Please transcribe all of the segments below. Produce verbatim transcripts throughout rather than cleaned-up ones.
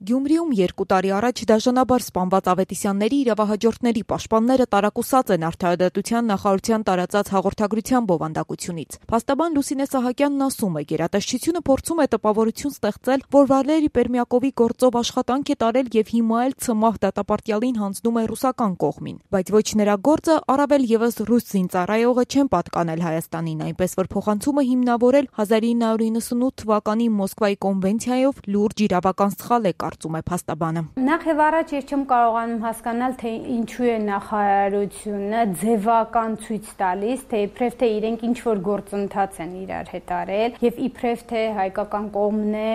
Գյումրիում երկու տարի առաջ դաժանաբար սպանված Ավետիսյանների իրավահաջորդների պաշտպանները տարակուսած են Արդարադատության նախարարության տարածած հաղորդագրության բովանդակությունից։ Փաստաբան Լուսինե Սահակյանն ասում է, գերատեսչությունը փորձում է տպավորություն ստեղծել, որ Վալերի Պերմյակովի գործով աշխատանք է տարել եւ հիմա էլ ՑՄԱՀ դատապարտյալին հանձնում է ռուսական կողմին, բայց ոչ նրա գործը, առավել եւս ռուս զինծառայողը չեն պատկանել Հայաստանին, այնպես որ փոխանցումը հիմնավորել հազար ինը հարյուր իննսունութ թվականի Մոսկվայի կոնվենցիայով լուրջ իրավական սխալ է, կարծում է փաստաբանը։ Նախ եւ առաջ ես չեմ կարողանում հասկանալ, թե ինչու է նախարարությունը ձևական ցույց տալիս, թե իբրև թե իրենք ինչ որ գործընթաց են իրար հետ արել եւ իբրև թե հայկական կողմն է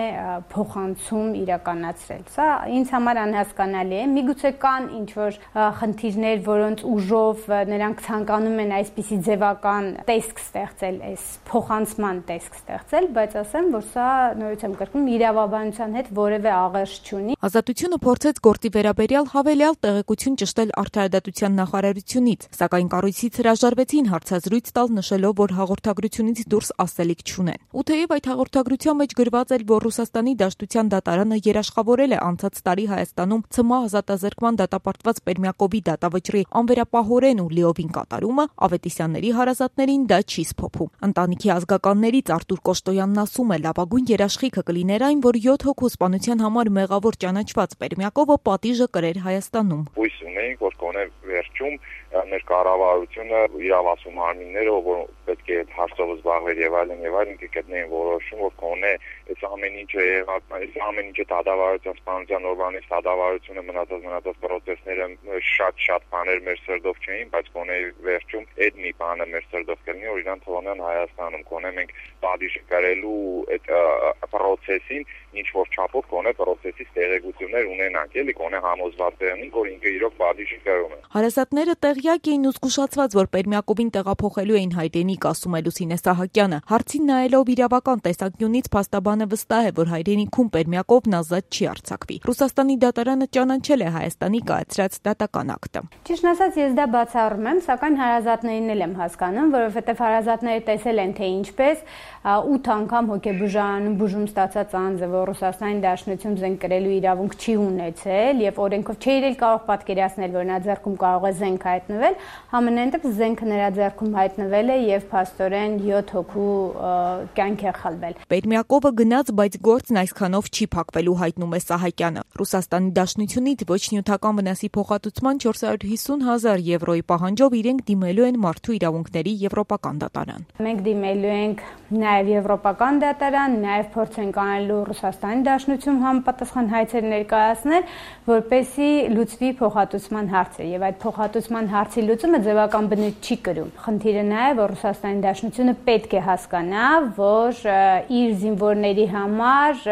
փոխանցում իրականացրել։ Սա ինձ համար անհասկանալի է։ Միգուցե կան ինչ որ խնդիրներ, որոնց ուժով նրանք ցանկանում են այսպիսի ձևական տեսք ստեղծել, այս փոխանցման տեսք ստեղծել, բայց ասեմ, որ սա նորից եմ կրկնում իրավաբանության հետ որևէ աղերս չունի։ Ազատությունը փորձեց գործի վերաբերյալ հավելյալ տեղեկություն ճշտել Արդարադատության նախարարությունից, սակայն կառույցից հրաժարվեցին հարցազրույց տալ, նշելով, որ հաղորդագրությունից դուրս ասելիք չունեն։ Ու թեև այդ հաղորդագրության մեջ գրված էր, որ Ռուսաստանի Դաշնության դատարանը երաշխավորել է անցած տարի Հայաստանում ՑՄԱՀ ազատազրկման դատապարտված Պերմյակովի դատավճռի անվերապահորեն ու լիովին կատարումը, Ավետիսյանների հարազատներին դա չի սփոփում։ Ընտանիքի ազգականներից Արտուր Կոշտոյանն ասում է, լավագույն երաշխիքը կլիներ այն, որ յոթ հոգու սպանության համար մեղավոր ճանաչված Պերմյակովը պատիժը կրեր Հայաստանում։ Հույս ունեինք, որ կոնե վերջում մեր կառավարությունը իրավասու մարմինները, որ պետք է հարցով զբաղվեր եւ այլն եւ այլն, կգտնեին որոշում, որ կոնե այս ամեն ինչը եղած, այս ամեն ինչը դատավարության սպանության օրվանից դատավարությունը մնացած մնացած պրոցեսները շատ-շատ բաներ մեր սրտով չէին, բայց կոնե վերջում այդ մի բանը մեր սրտով կլինի, որ իրան թողնեն Հայաստանում, կոնե մենք պատիժը կրելու այդ պրոցեսին ինչ որ չափով կոնե պրոցեսից տեղեկություններ ունենանք, էլի կոնե համոզված եղնենք, որ ինքը իրոք պատիժը կրում է։ Հարազատները տեղյակ էին ու զգուշացված, որ Պերմյակովին տեղափոխելու էին հայրենիք, ասում է Լուսինե Սահակյանը։ Հարցին նայելով իրավական տեսանկյունից փաստաբանը վստահ է, որ հայրենիքում Պերմյակովն ազատ չի արձակվի։ Ռուսաստանի դատարանը ճանաչել է Հայաստանի կայացրած դատական ակտը։ Ճիշտն ասած, ես դա բացառում եմ, սակայն հարազատներին էլ եմ հասկանում, որովհետև հարազատները տեսել են, թե ինչպես ութ անգամ հոգեբուժարանում բուժում ստացած անձը, որ Ռուսաստանի Դաշնություն զենք կրելու իրավունք չի ունեցել եւ օրենքով չի իրել կարող պատկերացնել, որ նա ձեռքում կարող է զենք հայտնվել, համենայնդեպ զենքը նրա ձեռքում հայտնվել է եւ փաստորեն յոթ հոգու կյանք է խլվել։ Պերմյակովը գնաց, բայց գործն այսքանով չի փակվելու, հայտնում է Սահակյանը։ Ռուսաստանի Դաշնությունից ոչ նյութական վնասի փոխհատուցման չորս հարյուր հիսուն հազար եվրոյի պահանջով իրենք դիմելու են Մարդու իրավունքների եվրոպական դատարան։ Մենք դիմելու ենք նաեւ եվրոպական դատարան, նաեւ փորձ ենք անելու Ռուսաստանի Դաշնություն համապատասխան հայցեր ներկայացնել, որպեսզի լուծվի փոխհատուցման հարցը եւ այդ փոխհատուցման հարցի լուծումը ձևական բնույթ չի կրում։ Խնդիրը նա է, որ Ռուսաստանի Դաշնությունը պետք է հասկանա, որ իր զինվորների համար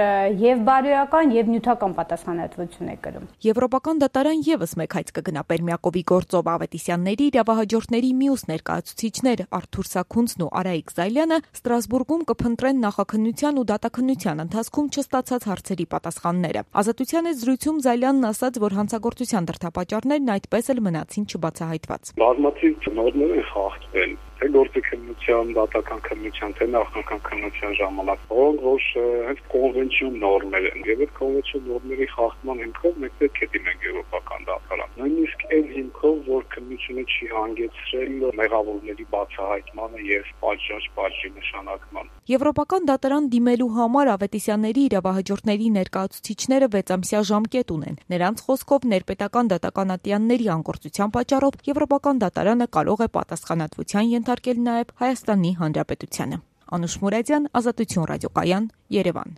եւ բարոյական եւ նյութական պատասխանատվություն է կրում։ Եվրոպական դատարան եւս մեկ հայց կգնա Պերմյակովի գործով Ավետիսյանների իրավահաջորդների մյուս ներկայացուցիչներ Արթուր Սաքունցն ու Արայիկ Զայլյանը Ստրասբուրգում կփնտրեն նախաքննության ու դատաքննության ընթացքում չստացած հարցերի պատասխանները։ Ազատության հետ զրույցում Զայլյանն ասաց, որ հանցագործության դրդապատճառներն այդպես էլ մնացին չբացահայտված։ Բազմաթիվ նորմեր են խախտվել, թե գործի քննության, դատական քննության, թե նախնական քննության ժամանակ, որոնք որ հենց կոնվենցիոն նորմեր են, եւ այդ կոնվենցիոն նորմերի խախտման հիմքով մենք պետք է դիմենք եվրոպական դատարան։ Նույնիսկ այն հիմքով, որ քննությունը չի հանգեցրել մեղավորների բացահայտմանը եւ պատժժ պատժի նշանակման։ Եվրոպական դատարան դիմելու համար Ավետիսյանների իրավահաջորդների ներկայացուցիչները վեց ամսյա ժամկետ ունեն։ Նրանց խոսքով ներպետական դատական ատյանների անգործության պատճառով Եվրոպական դատարանը կարող է պատասխանատվության ենթարկել նաև Հայաստանի Հանրապետությանը։ Անուշ Մուրադյան, Ազատություն ռադիոկայան, Երևան։